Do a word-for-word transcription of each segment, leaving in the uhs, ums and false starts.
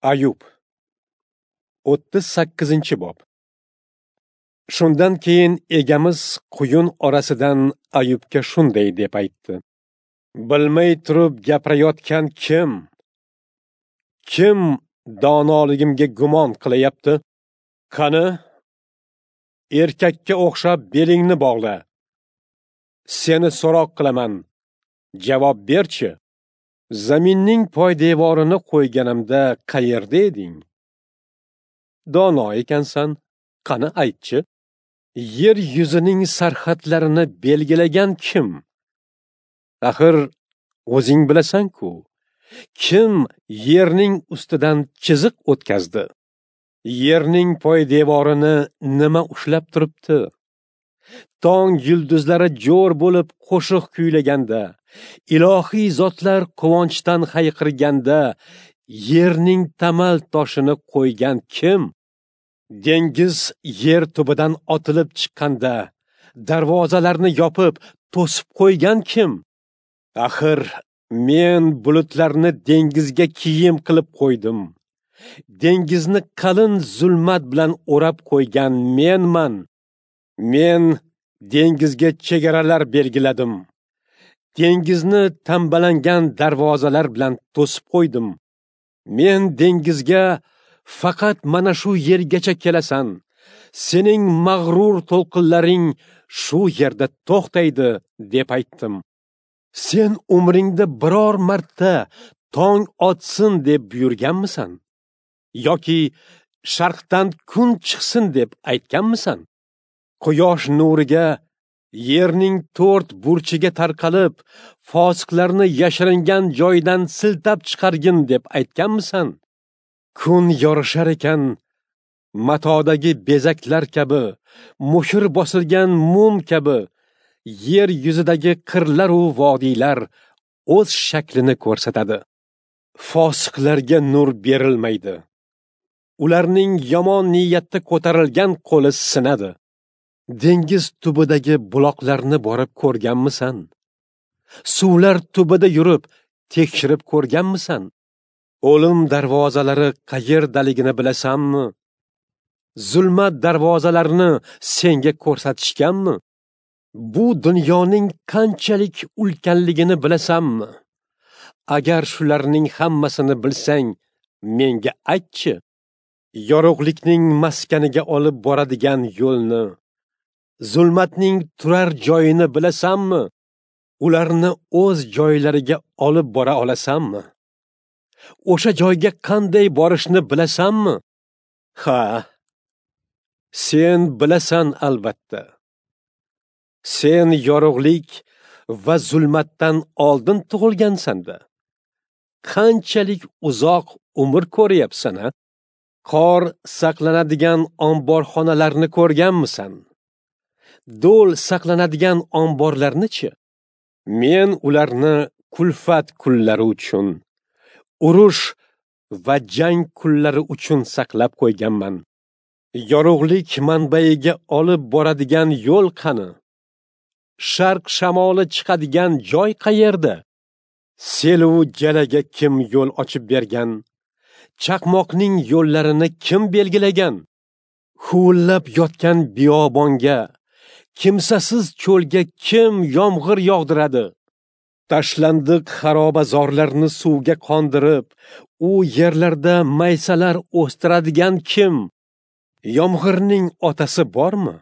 Ayub o'ttiz sakkizinchi bob. Shundan keyin egamiz quyun orasidan Ayubga shunday deb aytdi: Bilmay turib gapirayotgan kim? Kim donoligimga gumon qilayapti? Qani, erkakka o'xshab belingni bog'la. Seni so'roq qilaman. Javob berchi. Zaminning poydevorini qo'yganimda qayerda eding? Dono ekansan, qani aytchi. Yer yuzining sarhadlarini belgilagan kim? Axir o'zing bilasan-ku. Kim yerning ustidan chiziq o'tkazdi? Yerning poydevorini nima ushlab turibdi? Tong yulduzlari jo'r bo'lib qo'shiq kuylaganda, ilohiy zotlar quvonchdan hayqirganda, yerning tamal toshini qo'ygan kim? Dengiz yer tubidan otilib chiqqanda, darvozalarni yopib, to'sib qo'ygan kim? Axir men bulutlarni dengizga kiyim qilib qo'ydim. Dengizni qalin zulmat bilan o'rab qo'ygan menman. Men dengizga chegaralar belgiladim. Dengizni tambalangan darvozalar bilan to'sib qo'ydim. Men dengizga faqat mana shu yergacha kelasan, sening mag'rur to'lqinlaring shu yerda to'xtaydi deb aytdim. Sen umringda biror marta tong otsin deb buyurganmisan? Yoki sharqdan kun chiqsin deb aytganmisan? Quyosh nuriga yerning to'rt burchiga tarqalib, fosiqlarni yashiringan joyidan siltab chiqargin deb aytganmisan? Kun yorishar ekan, matodagi bezaklar kabi, muhr bosilgan mum kabi, yer yuzidagi qirlar u vodiylar o'z shaklini ko'rsatadi. Fosiqlarga nur berilmaydi. Ularning yomon niyatda ko'tarilgan qo'li sinadi. Dengiz tubidagi buloqlarni borib ko'rganmisan? Suvlar tubida yurib, tekshirib ko'rganmisan? O'lim darvozalari qayerdaligini bilasanmi? Zulmat darvozalarini senga ko'rsatishganmi? Bu dunyoning qanchalik ulkanligini bilasanmi? Agar shularning hammasini bilsang, menga aytchi. Yorug'likning maskaniga olib boradigan yo'lni, zulmatning turar joyini bilasanmi? Ularni o'z joylariga olib bora olasanmi? O'sha joyga qanday borishni bilasanmi? Ha, sen bilasan albatta. Sen yorug'lik va zulmatdan oldin tug'ilgansan-da. Qanchalik uzoq umr ko'ryapsan-a? Qor saqlanadigan omborxonalarni ko'rganmisan? Do'l saqlanadigan omborlarni-chi? Men ularni kulfat kunlari uchun, urush va jang kunlari uchun saqlab qo'yganman. Yorug'lik manbaiga olib boradigan yo'l qani? Sharq shamoli chiqadigan joy qayerda? Selu jalaga kim yo'l ochib bergan? Chaqmoqning yo'llarini kim belgilagan? Huvillab yotgan biyobonga, kimsasiz cho'lga kim yomg'ir yog'diradi? Tashlandiq xarobazorlarni suvga qondirib, u yerlarda maysalar o'stiradigan kim? Yomg'irning otasi bormi?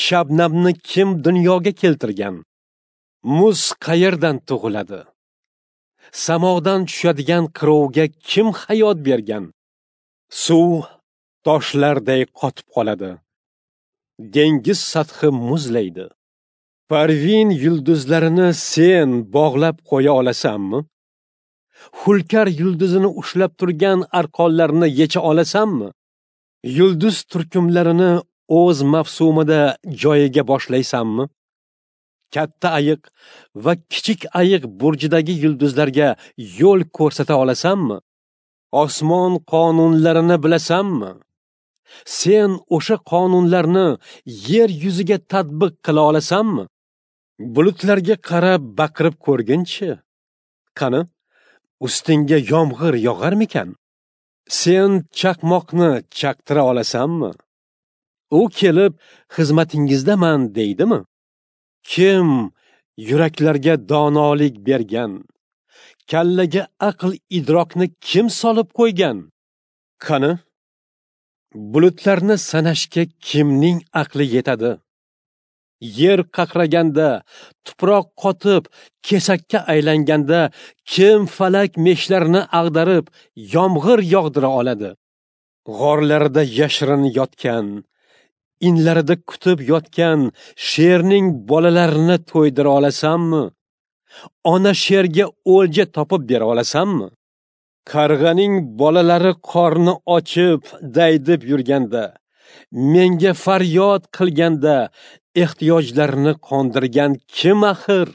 Shabnamni kim dunyoga keltirgan? Muz qayerdan tug'iladi? Samodan tushadigan qirovga kim hayot bergan? Suv toshlarday qotib qoladi. Dengiz sathi muzlaydi. Parvin yulduzlarini sen bog'lab qo'ya olasanmi? Hulkar yulduzini ushlab turgan arqonlarni yecha olasanmi? Yulduz turkumlarini o'z mavsumida joyiga boshlaysanmi? Katta ayiq va kichik ayiq burjidagi yulduzlarga yo'l ko'rsata olasanmi? Osmon qonunlarini bilasanmi? Sen o'sha qonunlarni yer yuziga tatbiq qila olasanmi? Bulutlarga qarab baqirib ko'rginchi. Qani, ustingga yomg'ir yog'armikan? Sen chaqmoqni chaqtira olasanmi? U kelib xizmatingizdaman deydimi? Kim yuraklarga donolik bergan? Kallaga aql idrokni kim solib qo'ygan? Qani, bulutlarni sanashga kimning aqli yetadi? Yer qaqraganda, tuproq qotib, kesakka aylanganda kim falak meshlarini ag'darib, yomg'ir yog'dira oladi? G'orlarda yashirin yotgan, inlarida kutib yotgan sherning bolalarini to'ydira olasanmi? Ona sherga o'lja topib bera olasanmi? Qarg'aning bolalari qorni ochib, daydib yurganda, menga faryod qilganda ehtiyojlarini qondirgan kim axir?